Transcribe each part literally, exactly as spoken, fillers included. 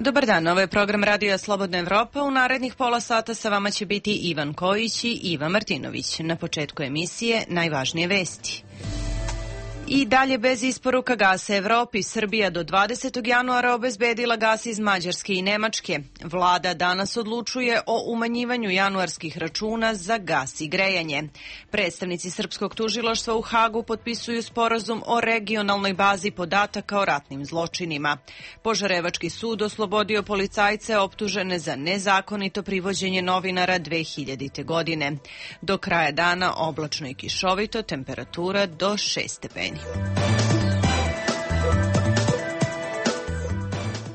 Dobar dan, ovo je program Radija Slobodna Evropa. U narednih pola sata sa vama će biti Ivan Kojić i Iva Martinović. Na početku emisije najvažnije vesti. I dalje bez isporuka gasa Evropi, Srbija do dvadesetog januara obezbedila gas iz Mađarske i Nemačke. Vlada danas odlučuje o umanjivanju januarskih računa za gas i grejanje. Predstavnici Srpskog tužilaštva u Hagu potpisuju sporazum o regionalnoj bazi podataka o ratnim zločinima. Požarevački sud oslobodio policajce optužene za nezakonito privođenje novinara dve hiljadite. godine. Do kraja dana oblačno i kišovito, temperatura do šest stepeni.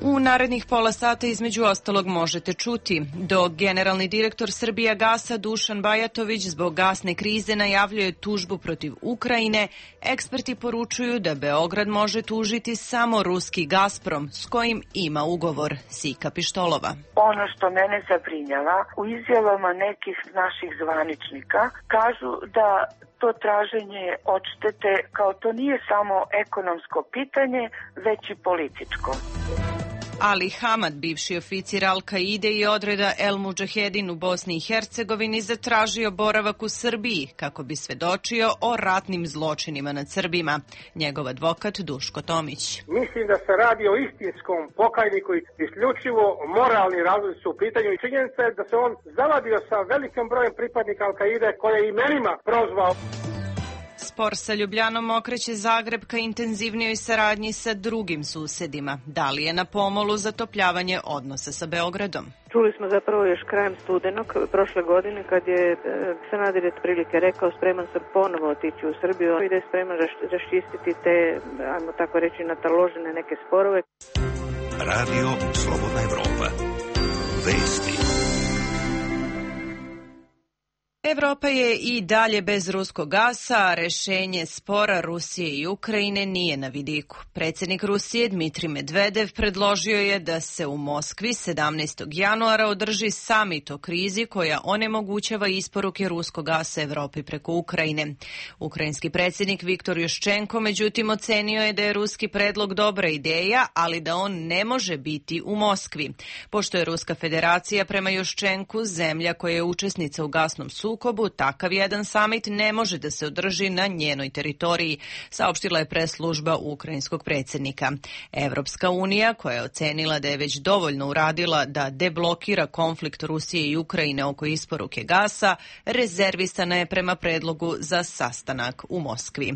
U narednih pola sata između ostalog možete čuti dok generalni direktor Srbijagasa Dušan Bajatović zbog gasne krize najavljuje tužbu protiv Ukrajine, eksperti poručuju da Beograd može tužiti samo ruski Gazprom s kojim ima ugovor. Sika Pištolova. Ono što mene zabrinjava, u izjavama nekih naših zvaničnika kažu da to traženje odštete kao to nije samo ekonomsko pitanje, već i političko. Ali Hamad, bivši oficir Al-Kaide i odreda El Mudžahedin u Bosni i Hercegovini, zatražio boravak u Srbiji kako bi svedočio o ratnim zločinima nad Srbima. Njegov advokat Duško Tomić. Mislim da se radi o istinskom pokajniku i isključivo moralni razlozi su u pitanju i činjenica je da se on zavadio sa velikim brojem pripadnika Al-Kaide koje je imenima prozvao. Spor sa Ljubljanom okreće Zagreb ka intenzivnijoj saradnji sa drugim susedima. Da li je na pomolu zatopljavanje odnosa sa Beogradom? Čuli smo zapravo još krajem studenog prošle godine kad je Sanader otprilike rekao spreman sam ponovo otići u Srbiju i da je spreman raščistiti te, ajmo tako reći, nataložene neke sporove. Radio Slobodna Evropa. Vesti. Evropa je i dalje bez ruskog gasa, a rešenje spora Rusije i Ukrajine nije na vidiku. Predsjednik Rusije Dmitrij Medvedev predložio je da se u Moskvi sedamnaestog januara održi samit o krizi koja onemogućava isporuke ruskog gasa Evropi preko Ukrajine. Ukrajinski predsjednik Viktor Juščenko međutim ocenio je da je ruski predlog dobra ideja, ali da on ne može biti u Moskvi. Pošto je Ruska federacija prema Juščenku zemlja koja je učesnica u gasnom sukobu, sukobu, takav jedan samit ne može da se održi na njenoj teritoriji, saopštila je pres služba ukrajinskog predsjednika. Evropska unija, koja je ocenila da je već dovoljno uradila da deblokira konflikt Rusije i Ukrajine oko isporuke gasa, rezervisana je prema predlogu za sastanak u Moskvi.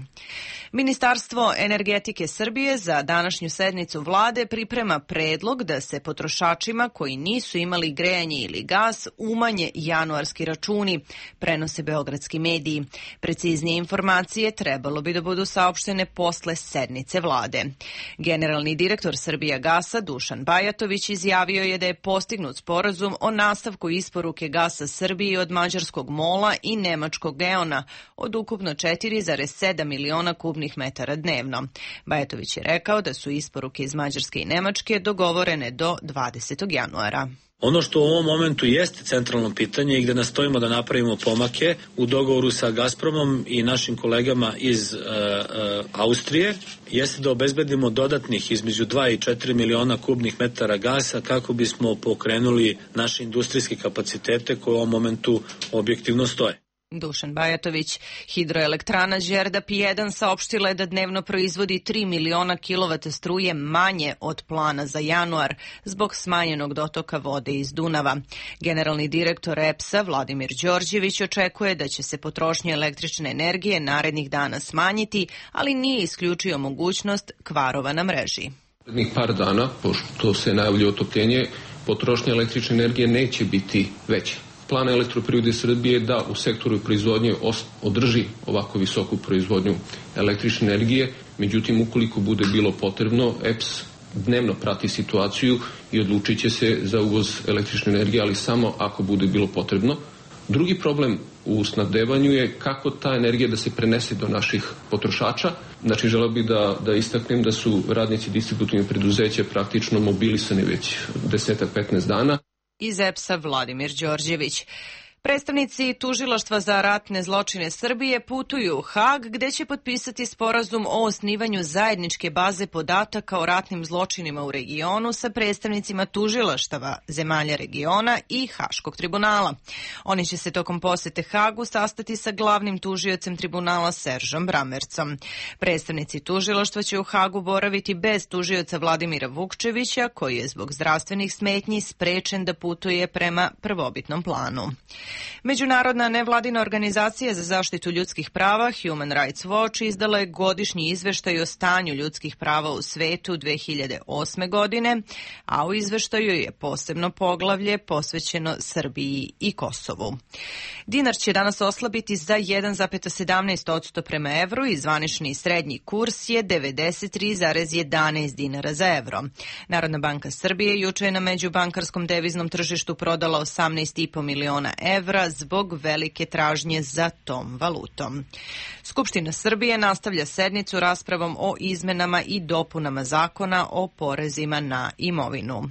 Ministarstvo energetike Srbije za današnju sednicu vlade priprema predlog da se potrošačima koji nisu imali grejanje ili gas umanje januarski računi, prenose beogradski mediji. Preciznije informacije trebalo bi da budu saopštene posle sednice vlade. Generalni direktor Srbijagasa Dušan Bajatović izjavio je da je postignut sporazum o nastavku isporuke gasa Srbiji od mađarskog MOL-a i nemačkog Geona od ukupno četiri zarez sedam miliona kubnih metara dnevno. Bajatović je rekao da su isporuke iz Mađarske i Nemačke dogovorene do dvadesetog januara. Ono što u ovom momentu jeste centralno pitanje i gde nastojimo da napravimo pomake u dogovoru sa Gazpromom i našim kolegama iz uh, uh, Austrije, jeste da obezbedimo dodatnih između dva i četiri miliona kubnih metara gasa kako bismo pokrenuli naše industrijske kapacitete koje u ovom momentu objektivno stoje. Dušan Bajatović. Hidroelektrana Đerdap jedan saopštila je da dnevno proizvodi tri miliona kilovata struje manje od plana za januar zbog smanjenog dotoka vode iz Dunava. Generalni direktor E P S-a Vladimir Đorđević očekuje da će se potrošnja električne energije narednih dana smanjiti, ali nije isključio mogućnost kvarova na mreži. Narednih par dana, pošto se najavljuje otopljenje, potrošnja električne energije neće biti veća. Plan Elektroprivrede Srbije da u sektoru proizvodnje održi ovako visoku proizvodnju električne energije, međutim ukoliko bude bilo potrebno, E P S dnevno prati situaciju i odlučit će se za uvoz električne energije, ali samo ako bude bilo potrebno. Drugi problem u snabdevanju je kako ta energija da se prenese do naših potrošača. Znači, želeo bih da, da istaknem da su radnici distributivnih preduzeća praktično mobilisani već deset do petnaest dana. Iz E P S-a Vladimir Đorđević. Predstavnici Tužilaštva za ratne zločine Srbije putuju u Hag, gde će potpisati sporazum o osnivanju zajedničke baze podataka o ratnim zločinima u regionu sa predstavnicima tužilaštava zemalja regiona i Haškog tribunala. Oni će se tokom posete Hagu sastati sa glavnim tužiocem tribunala Seržom Bramercom. Predstavnici tužilaštva će u Hagu boraviti bez tužioca Vladimira Vukčevića, koji je zbog zdravstvenih smetnji sprečen da putuje prema prvobitnom planu. Međunarodna nevladina organizacija za zaštitu ljudskih prava Human Rights Watch izdala je godišnji izveštaj o stanju ljudskih prava u svetu dve hiljade osme godine, a u izveštaju je posebno poglavlje posvećeno Srbiji i Kosovu. Dinar će danas oslabiti za jedan zarez sedamnaest posto prema evru i zvanični srednji kurs je devedeset tri zarez jedanaest dinara za evro. Narodna banka Srbije juče je na međubankarskom deviznom tržištu prodala osamnaest i po miliona evra zbog velike tražnje za tom valutom. Skupština Srbije nastavlja sednicu raspravom o izmenama i dopunama zakona o porezima na imovinu.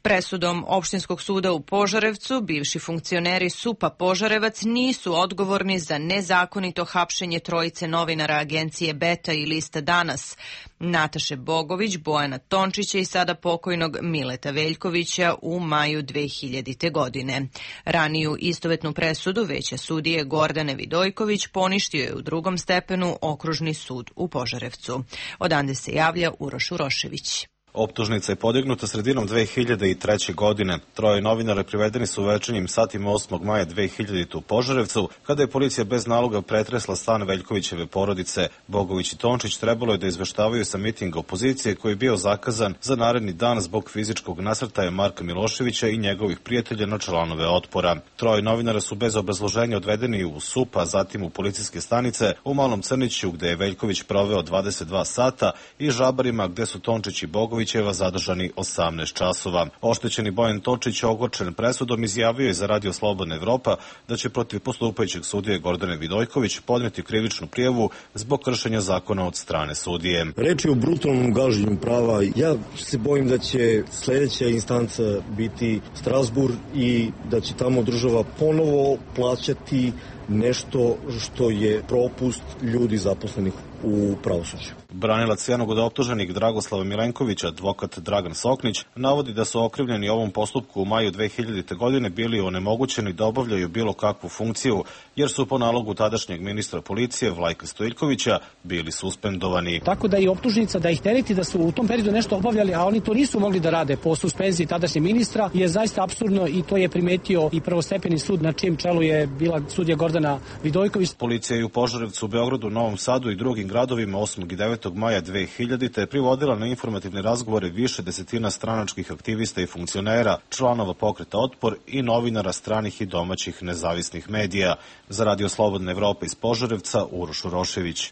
Presudom Opštinskog suda u Požarevcu bivši funkcioneri S U P-a Požarevac nisu odgovorni za nezakonito hapšenje trojice novinara agencije Beta i Lista Danas, Nataše Bogović, Bojana Tončića i sada pokojnog Mileta Veljkovića u maju dve hiljadite. godine. Raniju istovetnu presudu veća sudije Gordane Vidojković poništio je u drugom stepenu Okružni sud u Požarevcu. Odande se javlja Uroš Urošević. Optužnica je podignuta sredinom dve hiljade treće. godine. Troje novinara privedeni su u večernjim satima osmog maja dve hiljadite. u Požarevcu, kada je policija bez naloga pretresla stan Veljkovićeve porodice. Bogović i Tončić trebalo je da izveštavaju sa mitinga opozicije koji je bio zakazan za naredni dan zbog fizičkog nasrtaja Marka Miloševića i njegovih prijatelja na članove Otpora. Troje novinara su bez obrazloženja odvedeni u S U P, a zatim u policijske stanice u Malom Crniću, gde je Veljković proveo dvadeset dva sata, i Žabarima, gde su Tončić i Bogović zadržani osamnaest časova. Oštećeni Bojan Tončić, ogorčen presudom, izjavio je za Radio Slobodna Evropa da će protiv postupajućeg sudije Gordane Vidojković podneti krivičnu prijavu zbog kršenja zakona od strane sudije. Reč je o brutalnom gaženju prava. Ja se bojim da će sledeća instanca biti Strasburg i da će tamo država ponovo plaćati nešto što je propust ljudi zaposlenih u pravosuđu. Branilac jednog od optuženih Dragoslava Milenkovića, advokat Dragan Soknić, navodi da su okrivljeni u ovom postupku u maju dve hiljadite. godine bili onemogućeni da obavljaju bilo kakvu funkciju, jer su po nalogu tadašnjeg ministra policije Vlajka Stojiljkovića bili suspendovani. Tako da i optužnica da ih tereti da su u tom periodu nešto obavljali, a oni to nisu mogli da rade po suspenziji tadašnjeg ministra, je zaista apsurdno i to je primetio i prvostepeni sud na čijem čelu je bila sudija Gordana Vidojković. Policija je u Požarevcu, Beogradu, Novom Sadu i drugim gradovima osmog i devetog maja dve hiljadite. privodila na informativne razgovore više desetina stranačkih aktivista i funkcionera, članova pokreta Otpor i novinara stranih i domaćih nezavisnih medija. Za Radio Slobodna Evropa iz Požarevca, Uroš Urošević.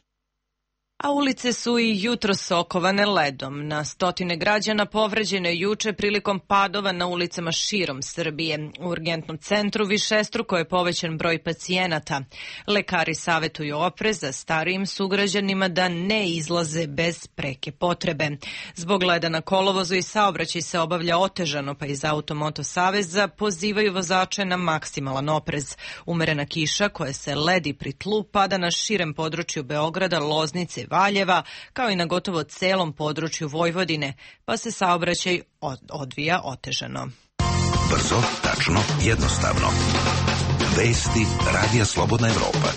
A ulice su i jutros okovane ledom. Na stotine građana povređeno je juče prilikom padova na ulicama širom Srbije. U urgentnom centru višestruko je povećan broj pacijenata. Lekari savetuju oprez za starijim sugrađanima da ne izlaze bez preke potrebe. Zbog leda na kolovozu i saobraćaj se obavlja otežano, pa iz Automoto saveza pozivaju vozače na maksimalan oprez. Umerena kiša koja se ledi pri tlu pada na širem području Beograda, Loznice, Valjeva, kao i na gotovo celom području Vojvodine, pa se saobraćaj odvija otežano. Brzo, tačno, jednostavno. Vesti Radija Slobodna Evropa.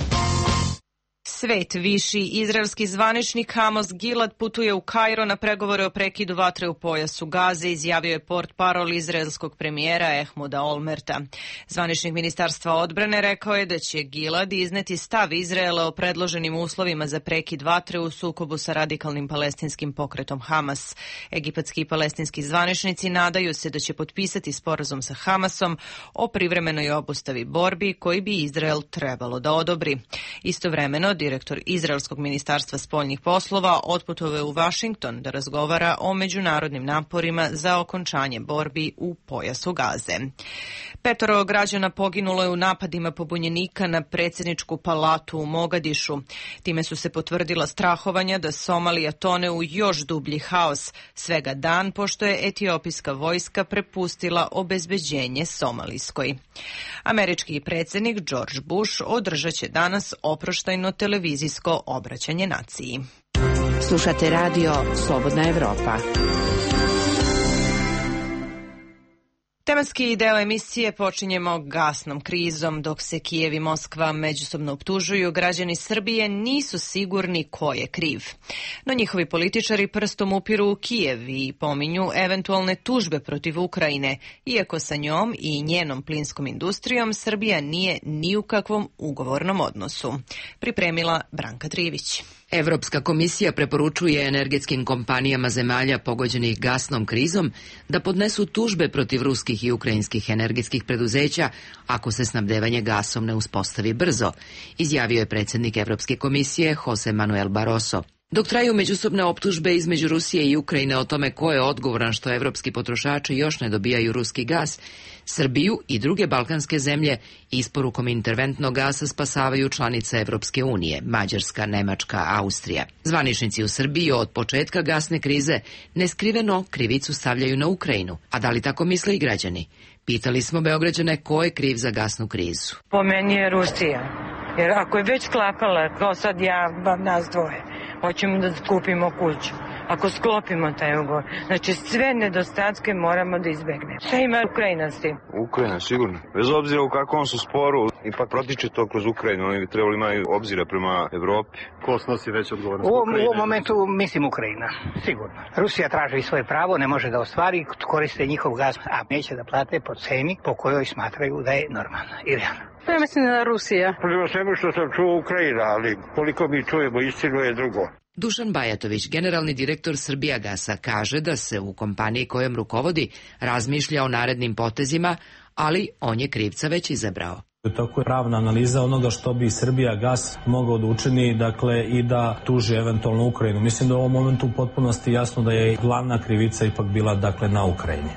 Svet viši izraelski zvaničnik Amos Gilad putuje u Kairo na pregovore o prekidu vatre u pojasu Gaze, izjavio je portparol izraelskog premijera Ehmuda Olmerta. Zvaničnik Ministarstva odbrane rekao je da će Gilad izneti stav Izraela o predloženim uslovima za prekid vatre u sukobu sa radikalnim palestinskim pokretom Hamas. Egipatski i palestinski zvaničnici nadaju se da će potpisati sporazum sa Hamasom o privremenoj obustavi borbi koji bi Izrael trebalo da odobri. Istovremeno, direktor direktor Izraelskog ministarstva spoljnih poslova, otputovao je u Vašington da razgovara o međunarodnim naporima za okončanje borbi u pojasu Gaze. Petoro građana poginulo je u napadima pobunjenika na predsjedničku palatu u Mogadišu. Time su se potvrdila strahovanja da Somalija tone u još dublji haos, svega dan pošto je etiopijska vojska prepustila obezbeđenje somalijskoj. Američki predsjednik George Bush održat će danas oproštajno televizijsko obraćanje naciji. Slušate radio Slobodna Evropa. Tematski deo emisije počinjemo gasnom krizom. Dok se Kijev i Moskva međusobno optužuju, građani Srbije nisu sigurni ko je kriv. No njihovi političari prstom upiru u Kijev i pominju eventualne tužbe protiv Ukrajine, iako sa njom i njenom plinskom industrijom Srbija nije ni u kakvom ugovornom odnosu. Pripremila Branka Trivić. Evropska komisija preporučuje energetskim kompanijama zemalja pogođenih gasnom krizom da podnesu tužbe protiv ruskih i ukrajinskih energetskih preduzeća ako se snabdevanje gasom ne uspostavi brzo, izjavio je predsjednik Evropske komisije Jose Manuel Barroso. Dok traju međusobne optužbe između Rusije i Ukrajine o tome ko je odgovoran što evropski potrošači još ne dobijaju ruski gas, Srbiju i druge balkanske zemlje isporukom interventnog gasa spasavaju članice Evropske unije, Mađarska, Nemačka, Austrija. Zvaničnici u Srbiji od početka gasne krize neskriveno krivicu stavljaju na Ukrajinu. A da li tako misle i građani? Pitali smo Beograđane ko je kriv za gasnu krizu. Po meni je Rusija. Jer ako je već sklapala, kao sad ja, nas dvoje, hoćemo da kupimo kuću. Ako sklopimo taj ugovor, znači sve nedostatke moramo da izbegnemo. Šta ima Ukrajina s tim? Ukrajina, sigurno. Bez obzira u kakvom su sporu, ipak protiče to kroz Ukrajinu. Oni bi trebali imati obzira prema Evropi. Ko snosi već odgovornost? U ovom momentu mislim Ukrajina, sigurno. Rusija traži svoje pravo, ne može da ostvari, koriste njihov gaz, a neće da plate po ceni po kojoj smatraju da je normalna i realna. Ja mislim da Rusija. Prema svemu što sam čuo Ukrajina, ali koliko mi čujemo istinu je drugo. Dušan Bajatović, generalni direktor Srbijagasa, kaže da se u kompaniji kojom rukovodi razmišlja o narednim potezima, ali on je krivca već izabrao. Tako je pravna analiza onoga što bi Srbijagas mogao da učini, dakle, i da tuži eventualno Ukrajinu. Mislim da u ovom momentu u potpunosti jasno da je glavna krivica ipak bila, dakle, na Ukrajini.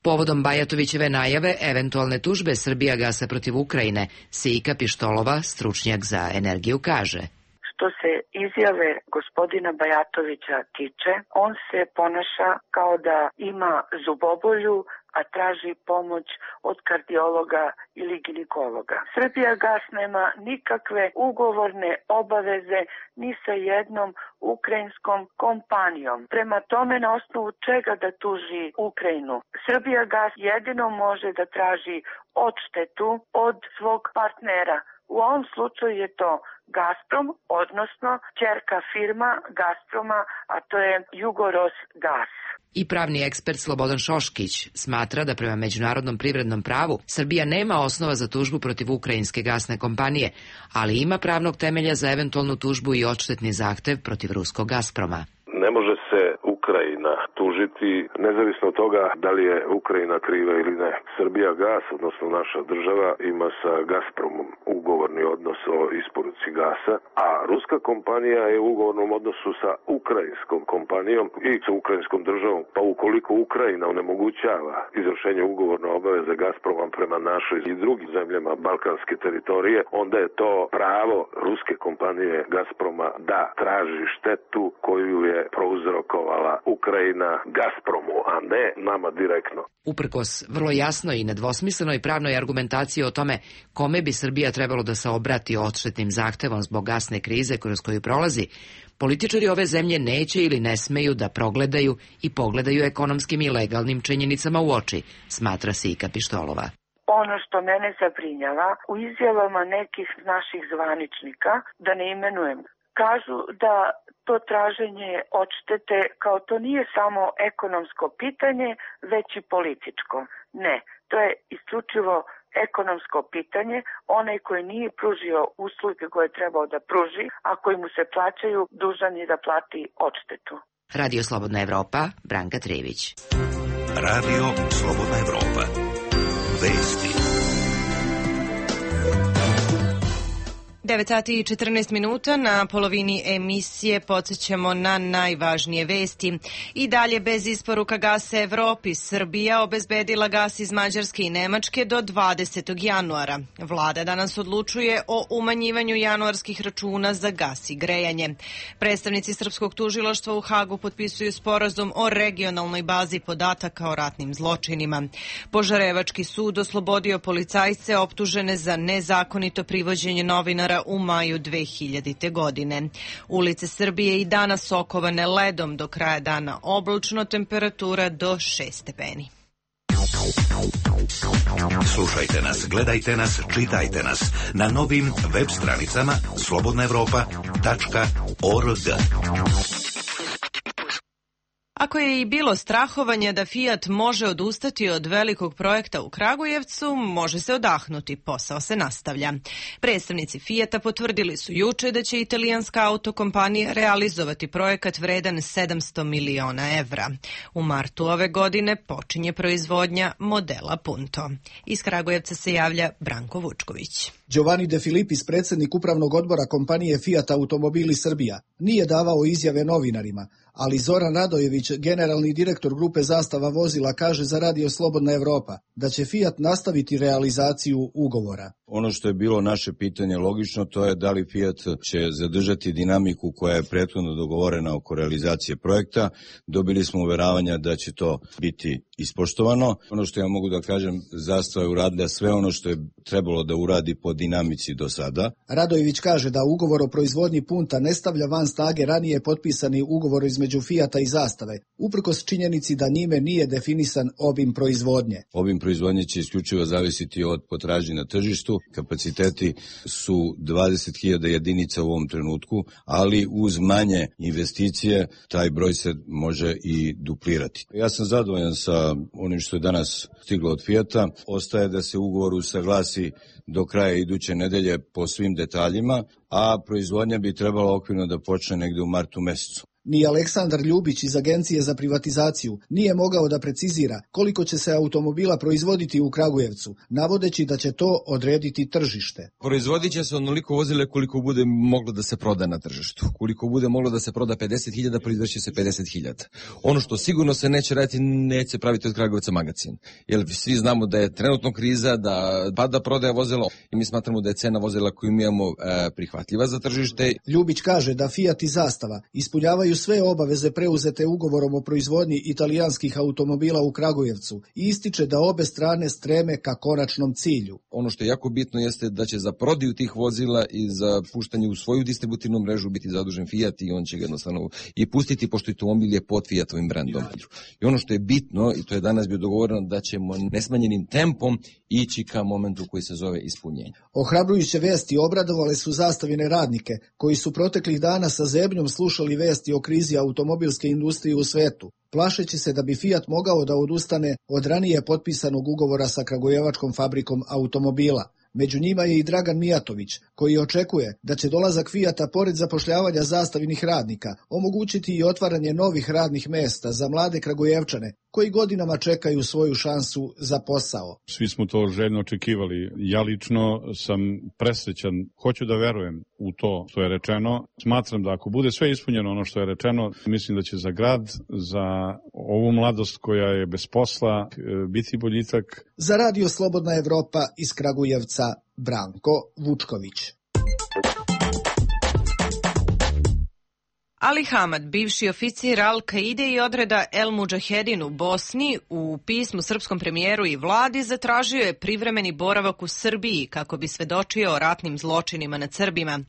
Povodom Bajatovićeve najave eventualne tužbe Srbijagasa protiv Ukrajine, Sika Pištolova, stručnjak za energiju, kaže: Što se izjave gospodina Bajatovića tiče, on se ponaša kao da ima zubobolju, a traži pomoć od kardiologa ili ginekologa. Srbijagas nema nikakve ugovorne obaveze ni sa jednom ukrajinskom kompanijom. Prema tome, na osnovu čega da tuži Ukrajinu? Srbijagas jedino može da traži odštetu od svog partnera. U ovom slučaju je to Gazprom, odnosno ćerka firma Gazproma, a to je Jugorosgas. I pravni ekspert Slobodan Šoškić smatra da prema međunarodnom privrednom pravu Srbija nema osnova za tužbu protiv ukrajinske gasne kompanije, ali ima pravnog temelja za eventualnu tužbu i odštetni zahtev protiv ruskog Gazproma. Ne može se Ukrajina tužiti, nezavisno od toga da li je Ukrajina kriva ili ne. Srbijagas, odnosno naša država, ima sa Gazpromom ugovorni odnos o isporuci gasa, a ruska kompanija je u ugovornom odnosu sa ukrajinskom kompanijom i sa ukrajinskom državom. Pa ukoliko Ukrajina onemogućava izvršenje ugovorne obaveze Gazpromom prema našoj i drugim zemljama balkanske teritorije, onda je to pravo ruske kompanije Gazproma da traži štetu koju je prouzrokovala Ukrajina Gazpromu, a ne nama direktno. Uprkos vrlo jasnoj i nedvosmislenoj pravnoj argumentaciji o tome kome bi Srbija trebalo da se obrati odštetnim zahtevom zbog gasne krize kroz koju prolazi, političari ove zemlje neće ili ne smeju da progledaju i pogledaju ekonomskim i legalnim činjenicama u oči, smatra Sika Pištolova. Ono što mene zabrinjava, u izjavama nekih naših zvaničnika, da ne imenujem, kažu da to traženje odštete kao to nije samo ekonomsko pitanje, već i političko. Ne, to je isključivo ekonomsko pitanje. Onaj koji nije pružio usluge koje je trebao da pruži, a koji mu se plaćaju, dužan je da plati odštetu. Radio Slobodna Evropa, Branka Trević. Radio Slobodna Evropa. Vesti. devet sati i četrnaest minuta, na polovini emisije podsjećamo na najvažnije vesti. I dalje bez isporuka gasa Evropi, Srbija obezbedila gas iz Mađarske i Nemačke do dvadesetog januara. Vlada danas odlučuje o umanjivanju januarskih računa za gas i grejanje. Predstavnici Srpskog tužilaštva u Hagu potpisuju sporazum o regionalnoj bazi podataka o ratnim zločinima. Požarevački sud oslobodio policajce optužene za nezakonito privođenje novinara u maju dve hiljadite. godine. Ulice Srbije i danas okovane ledom, do kraja dana oblačno, temperatura do šest stepeni. Slušajte nas, gledajte nas, čitajte nas na novim web stranicama slobodna evropa tačka org. Ako je i bilo strahovanja da Fiat može odustati od velikog projekta u Kragujevcu, može se odahnuti, posao se nastavlja. Predstavnici Fiata potvrdili su juče da će italijanska autokompanija realizovati projekat vredan sedamsto miliona evra. U martu ove godine počinje proizvodnja modela Punto. Iz Kragujevca se javlja Branko Vučković. Giovanni De Filipis, predsjednik upravnog odbora kompanije Fiat Automobili Srbija, nije davao izjave novinarima, ali Zoran Radojević, generalni direktor grupe Zastava vozila, kaže za Radio Slobodna Evropa da će Fiat nastaviti realizaciju ugovora. Ono što je bilo naše pitanje logično, to je da li Fiat će zadržati dinamiku koja je prethodno dogovorena oko realizacije projekta. Dobili smo uveravanja da će to biti ispoštovano. Ono što ja mogu da kažem, Zastava je uradila sve ono što je trebalo da uradi po dinamici do sada. Radojević kaže da ugovor o proizvodnji Punta ne stavlja van snage ranije potpisani ugovor između Fiata i Zastave, uprkos činjenici da njime nije definisan obim proizvodnje. Obim proizvodnje će isključivo zavisiti od potražnje na tržištu. Kapaciteti su dvadeset hiljada jedinica u ovom trenutku, ali uz manje investicije taj broj se može i duplirati. Ja sam zadovoljan sa onim što je danas stiglo od Fiata. Ostaje da se ugovor usaglasi do kraja iduće nedelje po svim detaljima, a proizvodnja bi trebala okvirno da počne negde u martu mesecu. Ni Aleksandar Ljubić iz Agencije za privatizaciju nije mogao da precizira koliko će se automobila proizvoditi u Kragujevcu, navodeći da će to odrediti tržište. Proizvodit će se onoliko vozile koliko bude moglo da se proda na tržištu. Koliko bude moglo da se proda pedeset hiljada, proizveće se pedeset hiljada. Ono što sigurno se neće raditi, neće praviti od Kragujevca magacin. Jer svi znamo da je trenutno kriza, da pada prodaja vozila i mi smatramo da je cena vozila koju mi imamo e, prihvatljiva za tržište. Ljubić kaže da Fiat i Zastava ispunjavaju sve obaveze preuzete ugovorom o proizvodnji italijanskih automobila u Kragujevcu i ističe da obe strane streme ka konačnom cilju. Ono što je jako bitno jeste da će za prodaju tih vozila i za puštanje u svoju distributivnu mrežu biti zadužen Fiat i on će ga jednostavno i pustiti, pošto automobil je pod Fiatovim brendom. I ono što je bitno, i to je danas bio dogovoreno, da ćemo nesmanjenim tempom ići ka momentu koji se zove ispunjenje. Ohrabrujuće vesti obradovale su Zastavine radnike, koji su proteklih dana sa zebnjom slušali vesti o krizi automobilske industrije u svetu, plašeći se da bi Fiat mogao da odustane od ranije potpisanog ugovora sa kragujevačkom fabrikom automobila. Među njima je i Dragan Mijatović, koji očekuje da će dolazak Fiata, pored zapošljavanja Zastavinih radnika, omogućiti i otvaranje novih radnih mesta za mlade Kragujevčane, koji godinama čekaju svoju šansu za posao. Svi smo to željno očekivali. Ja lično sam presrećan, hoću da verujem u to što je rečeno. Smatram da ako bude sve ispunjeno ono što je rečeno, mislim da će za grad, za ovu mladost koja je bez posla, biti boljitak. Za Radio Slobodna Evropa iz Kragujevca, Branko Vučković. Ali Hamad, bivši oficir Al-Kaide i odreda El Mudžahedin u Bosni, u pismu srpskom premijeru i vladi zatražio je privremeni boravak u Srbiji kako bi svedočio o ratnim zločinima nad Srbima.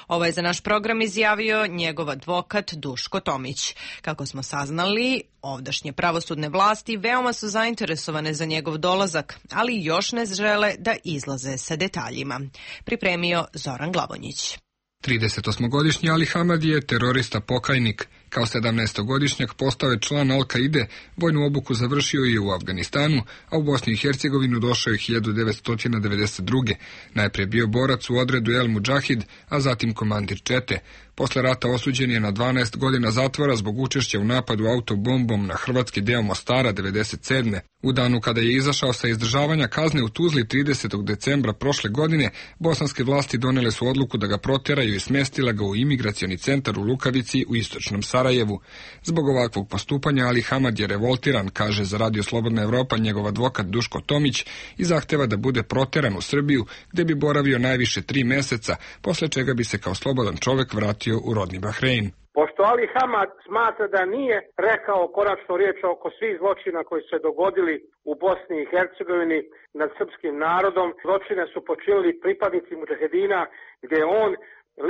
Ovo je za naš program izjavio njegov advokat Duško Tomić. Kako smo saznali, ovdašnje pravosudne vlasti veoma su zainteresovane za njegov dolazak, ali još ne žele da izlaze sa detaljima. Pripremio Zoran Glavonjić. tridesetosmogodišnji Ali Hamad je terorista pokajnik Kao sedamnaestogodišnjak postao je član Al-Kaide, vojnu obuku završio je u Afganistanu, a u Bosni i Hercegovinu došao je hiljadu devetsto devedeset druge. Najprije bio borac u odredu El Mudžahid, a zatim komandir čete. Posle rata osuđen je na dvanaest godina zatvora zbog učešća u napadu autobombom na hrvatski deo Mostara devedeset sedme. U danu kada je izašao sa izdržavanja kazne u Tuzli tridesetog decembra prošle godine, bosanske vlasti donele su odluku da ga proteraju i smestila ga u imigracioni centar u Lukavici u istočnom Sarajevu. Zbog ovakvog postupanja Ali Hamad je revoltiran, kaže za Radio Slobodna Evropa njegov advokat Duško Tomić, i zahteva da bude proteran u Srbiju, gde bi boravio najviše tri meseca, posle čega bi se kao slobodan čovek vratio u rodni Bahrein. Pošto Ali Hamad smatra da nije rekao konačnu riječ oko svih zločina koji su se dogodili u Bosni i Hercegovini nad srpskim narodom, zločine su počinili pripadnici mudžahedina, gdje on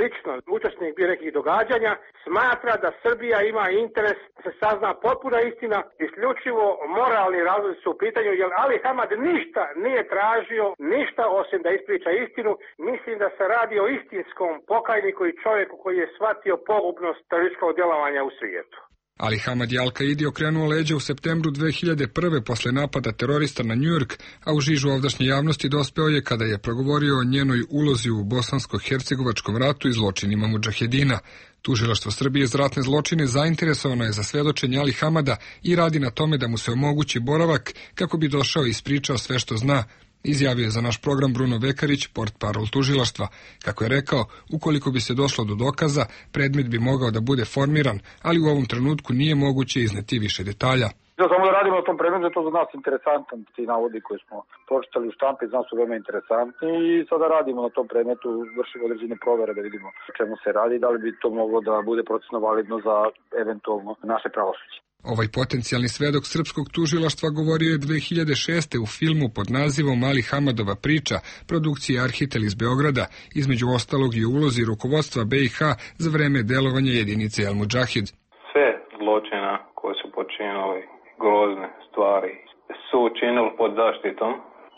lično učesnik bio nekih događanja, smatra da Srbija ima interes da se sazna potpuna istina, isključivo moralni razlozi su u pitanju, jer Ali Hamad ništa nije tražio, ništa osim da ispriča istinu. Mislim da se radi o istinskom pokajniku i čovjeku koji je shvatio pogubnost terorističkog djelovanja u svijetu. Ali Hamad je Al-Kaidi okrenuo leđa u septembru dve hiljade prve posle napada terorista na Njujork, a u žižu ovdašnje javnosti dospeo je kada je progovorio o njenoj ulozi u bosansko-hercegovačkom ratu i zločinima mudžahedina. Tužilaštvo Srbije za ratne zločine zainteresovano je za svedočenje Ali Hamada i radi na tome da mu se omogući boravak kako bi došao i ispričao sve što zna, izjavio je za naš program Bruno Vekarić, portparol tužilaštva. Kako je rekao, ukoliko bi se došlo do dokaza, predmet bi mogao da bude formiran, ali u ovom trenutku nije moguće izneti više detalja. Da samo da radimo na tom predmetu, to za nas interesantan, ti navodi koji smo pročitali u štampi, znam su veoma interesantni i sada radimo na tom predmetu, vršimo određene provere da vidimo o čemu se radi, da li bi to moglo da bude procesno validno za eventualno naše pravosuđe. Ovaj potencijalni svedok srpskog tužilaštva govorio je dve hiljade šeste u filmu pod nazivom Ali Hamadova priča, produkcije Arhitel iz Beograda, između ostalog i u ulozi rukovodstva be i ha za vreme delovanja jedinice El Mudžahid. Sve zločina koje su počinili, grozne stvari, su učinili pod zaštitom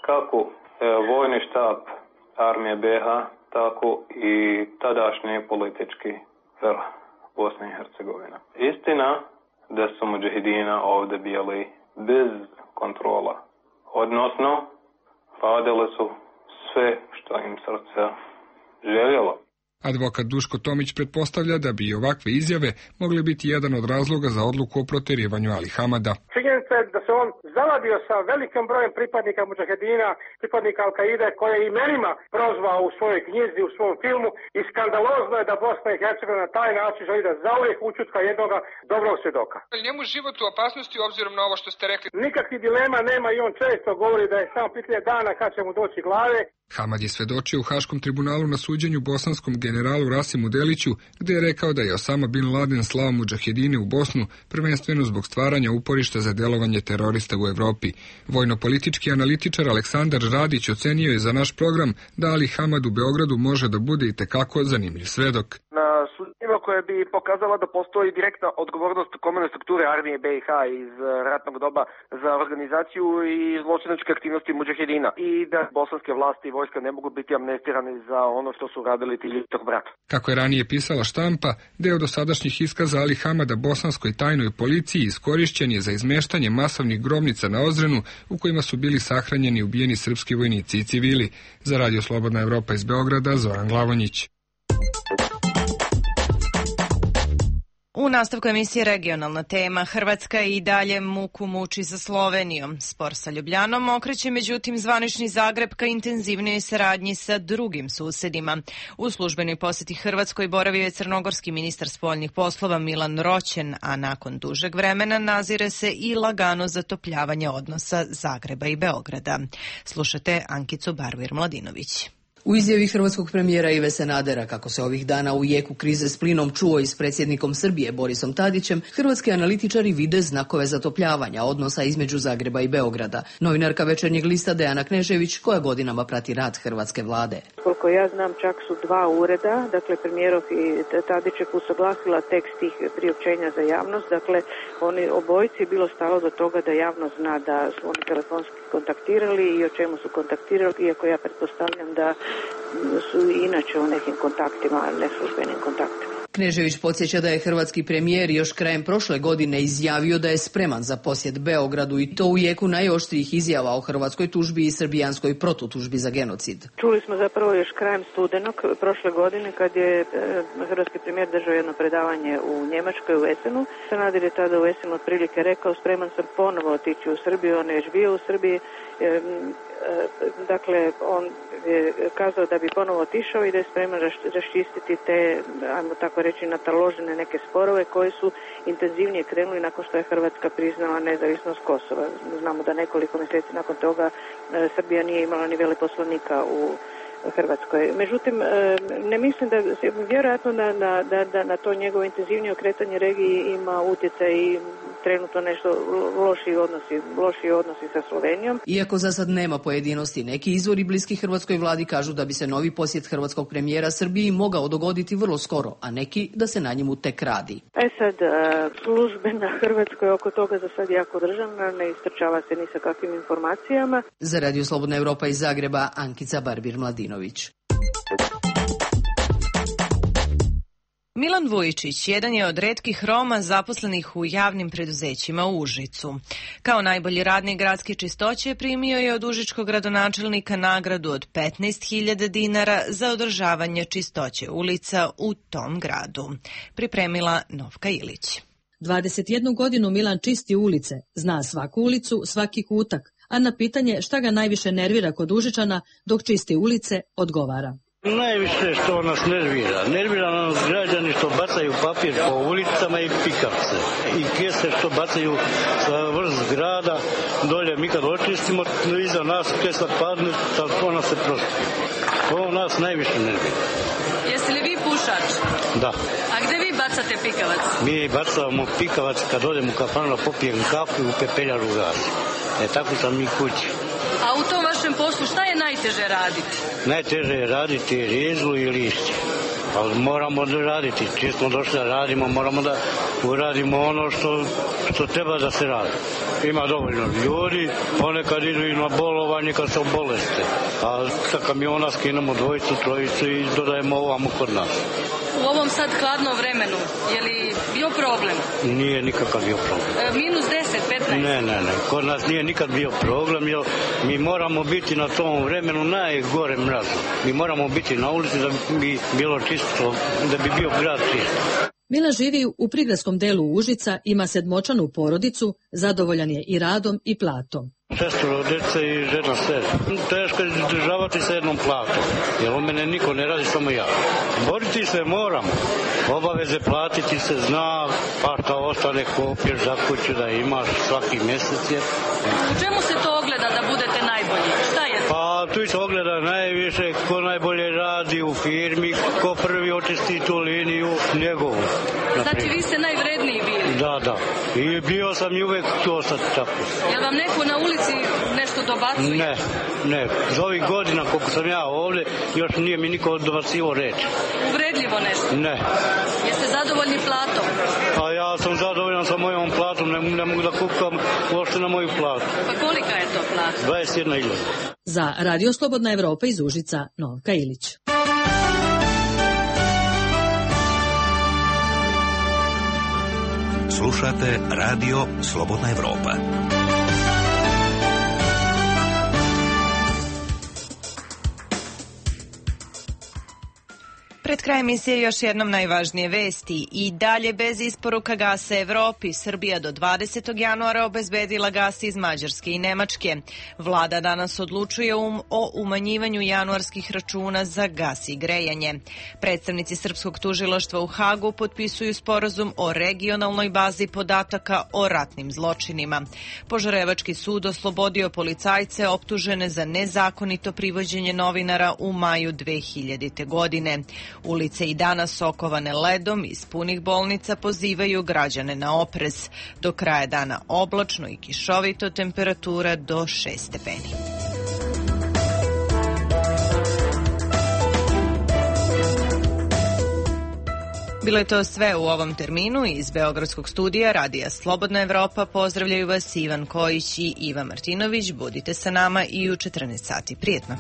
kako e, vojni štab armije be ha, tako i tadašnji politički vrh Bosne i Hercegovine. Istina da su mudžahedina ovdje bili bez kontrola, odnosno radili su sve što im srce željelo. Advokat Duško Tomić pretpostavlja da bi i ovakve izjave mogle biti jedan od razloga za odluku o proterivanju Ali Hamada. Činjenica je da se on zavadio sa velikim brojem pripadnika mudžahedina, pripadnika Al-Kaide, koje je imenima prozvao u svojoj knjizi, u svom filmu, i skandalozno je da Bosna i Hercegovina na taj način želi da zauvijek ućutka jednoga dobrog svjedoka. Njemu život u opasnosti obzirom na ovo što ste rekli. Nikakvih dilema nema i on često govori da je samo pitanje dana kad će mu doći glave. Hamad je svedočio u Haškom tribunalu na suđenju bosanskom generalu Rasimu Deliću, gde je rekao da je Osama bin Laden slao mudžahedine u Bosnu, prvenstveno zbog stvaranja uporišta za delovanje terorista u Evropi. Vojno-politički analitičar Aleksandar Radić ocenio je za naš program da Ali Hamad u Beogradu može da bude i tekako zanimljiv svedok. Na suđenjima koje bi pokazala da postoji direktna odgovornost komandne strukture armije be i ha iz ratnog doba za organizaciju i zločinačke aktivnosti mudžahedina i da bosanske vlasti i vojska ne mogu biti amnestirani za ono što su radili ti ljudi tog brata. Kako je ranije pisala štampa, deo dosadašnjih iskaza Ali Hamada bosanskoj tajnoj policiji iskorišćen je za izmeštanje masovnih grobnica na Ozrenu u kojima su bili sahranjeni i ubijeni srpski vojnici i civili. Za Radio Slobodna Evropa iz Beograda, Zoran Glavonjić. U nastavku emisije Regionalna tema, Hrvatska i dalje muku muči sa Slovenijom. Spor sa Ljubljanom okreće međutim zvanični Zagreb ka intenzivnijoj saradnji sa drugim susedima. U službenoj posjeti Hrvatskoj boravio je crnogorski ministar spoljnih poslova Milan Roćen, a nakon dužeg vremena nazire se i lagano zatopljavanje odnosa Zagreba i Beograda. Slušate Ankicu Barvir-Mladinović. U izjavi hrvatskog premijera Ive Sanadera, kako se ovih dana u jeku krize s plinom čuo i s predsjednikom Srbije Borisom Tadićem, hrvatski analitičari vide znakove zatopljavanja odnosa između Zagreba i Beograda. Novinarka Večernjeg lista Dejana Knežević, koja godinama prati rad hrvatske vlade. Koliko ja znam, čak su dva ureda, dakle premijerov i Tadićev, usaglasila tekst tih priopćenja za javnost. Dakle, oni obojici je bilo stalo do toga da javnost zna da su oni telefonski kontaktirali i o čemu su kontaktirali, iako ja pretpostavljam da su inače u nekim kontaktima, neslužbenim kontaktima. Knežević podsjeća da je hrvatski premijer još krajem prošle godine izjavio da je spreman za posjet Beogradu i to u jeku najoštrijih izjava o hrvatskoj tužbi i srbijanskoj protutužbi za genocid. Čuli smo zapravo još krajem studenog prošle godine kad je hrvatski premijer držao jedno predavanje u Njemačkoj u Essenu. Sanader je tada u Essenu otprilike rekao spreman sam ponovo otići u Srbiju, on je još bio u Srbiji. Dakle, on je kazao da bi ponovo otišao i da je spreman raščistiti te, ajmo tako reći, nataložene neke sporove koji su intenzivnije krenuli nakon što je Hrvatska priznala nezavisnost Kosova. Znamo da nekoliko mjeseci nakon toga Srbija nije imala ni veleposlanika u Hrvatskoj. Međutim, ne mislim da, vjerojatno da, da, da, da na to njegovo intenzivnije okretanje regiji ima utjecaj i trenutno nešto loši odnosi, loši odnosi sa Slovenijom. Iako za sad nema pojedinosti, neki izvori bliski hrvatskoj vladi kažu da bi se novi posjet hrvatskog premijera Srbiji mogao dogoditi vrlo skoro, a neki da se na njemu tek radi. E sad, službe na Hrvatskoj oko toga za sad jako državna, ne istrčava se ni sa kakvim informacijama. Za Radio Slobodna Evropa iz Zagreba, Ankica Barbir-Mladinović. Milan Vujičić jedan je od retkih Roma zaposlenih u javnim preduzećima u Užicu. Kao najbolji radnik gradske čistoće primio je od užičkog gradonačelnika nagradu od petnaest hiljada dinara za održavanje čistoće ulica u tom gradu. Pripremila Novka Ilić. dvadeset jednu godinu Milan čisti ulice, zna svaku ulicu, svaki kutak, a na pitanje šta ga najviše nervira kod Užičana dok čisti ulice odgovara. Najviše što nas nervira. Nervira nas građani što bacaju papir po ulicama i pikavce. I kese što bacaju sa vrh zgrada. Dolje mi kad očistimo, iza nas kesa padne, ona se prosti. To nas najviše nervira. Jeste li vi pušač? Da. A gde vi bacate pikavac? Mi bacamo pikavac kad odem u kafanu, popijem kafu i u pepeljaru gasi. E tako sam mi kući. A u tom vašem poslu šta je najteže raditi? Najteže je raditi rizlu i lišće. Ali moramo da raditi. Čim smo došli da radimo, moramo da uradimo ono što, što treba da se radi. Ima dovoljno ljudi, ponekad idu i na bolovanje kad se oboleste. A sa kamiona skinemo dvojicu, trojicu i dodajemo ovamo kod nas. U ovom sad hladnom vremenu, je li bio problem? Nije nikakav bio problem. E, minus deset, petnaest? Ne, ne, ne. Kod nas nije nikad bio problem, jer mi moramo biti na tom vremenu najgore mrazu. Mi moramo biti na ulici da bi bilo čisto, da bi bio grad čist. Milan živi u prigradskom delu Užica, ima sedmočanu porodicu, zadovoljan je i radom i platom. Šestoro djece i žena sedam. Teško je izdržavati sa jednom platom, jer u mene niko ne radi, samo ja. Boriti se moramo. Obaveze platiti se zna, pa šta ostane kopiješ za kuću da imaš svaki mjesec je. U čemu se to ogleda da budete najbolji? Šta je to? Pa tu se ogleda najviše ko najbolje radi u firmi, ko prvi očisti tu liniju njegovu. Znači vi ste najvredniji bili? Da, da. I bio sam i uvek to sad tako. Jel vam neko na ulici nešto dobacuje? Ne, ne. Za ovih godina koliko sam ja ovdje, još nije mi niko dobacivo reći. Uvredljivo nešto? Ne. Jeste zadovoljni platom? A ja sam zadovoljan sa mojom platom, ne, ne mogu da kukam uopšte na moju platu. Pa kolika je to plata? dvadeset jedna hiljada. Za Radio Slobodna Evropa iz Užica, Novka Ilić. Slušate Radio Slobodna Evropa. Pred krajem emisije još jednom najvažnije vesti. I dalje bez isporuka gasa Evropi, Srbija do dvadesetog januara obezbedila gas iz Mađarske i Nemačke. Vlada danas odlučuje um, o umanjivanju januarskih računa za gas i grejanje. Predstavnici Srpskog tužilaštva u Hagu potpisuju sporazum o regionalnoj bazi podataka o ratnim zločinima. Požarevački sud oslobodio policajce optužene za nezakonito privođenje novinara u maju dve hiljadite. godine. Ulice i danas okovane ledom iz punih bolnica pozivaju građane na oprez. Do kraja dana oblačno i kišovito, temperatura do šest stepeni. Bilo je to sve u ovom terminu. Iz Beogradskog studija Radija Slobodna Evropa pozdravljaju vas Ivan Kojić i Iva Martinović. Budite sa nama i u četrnaest sati. Prijetno.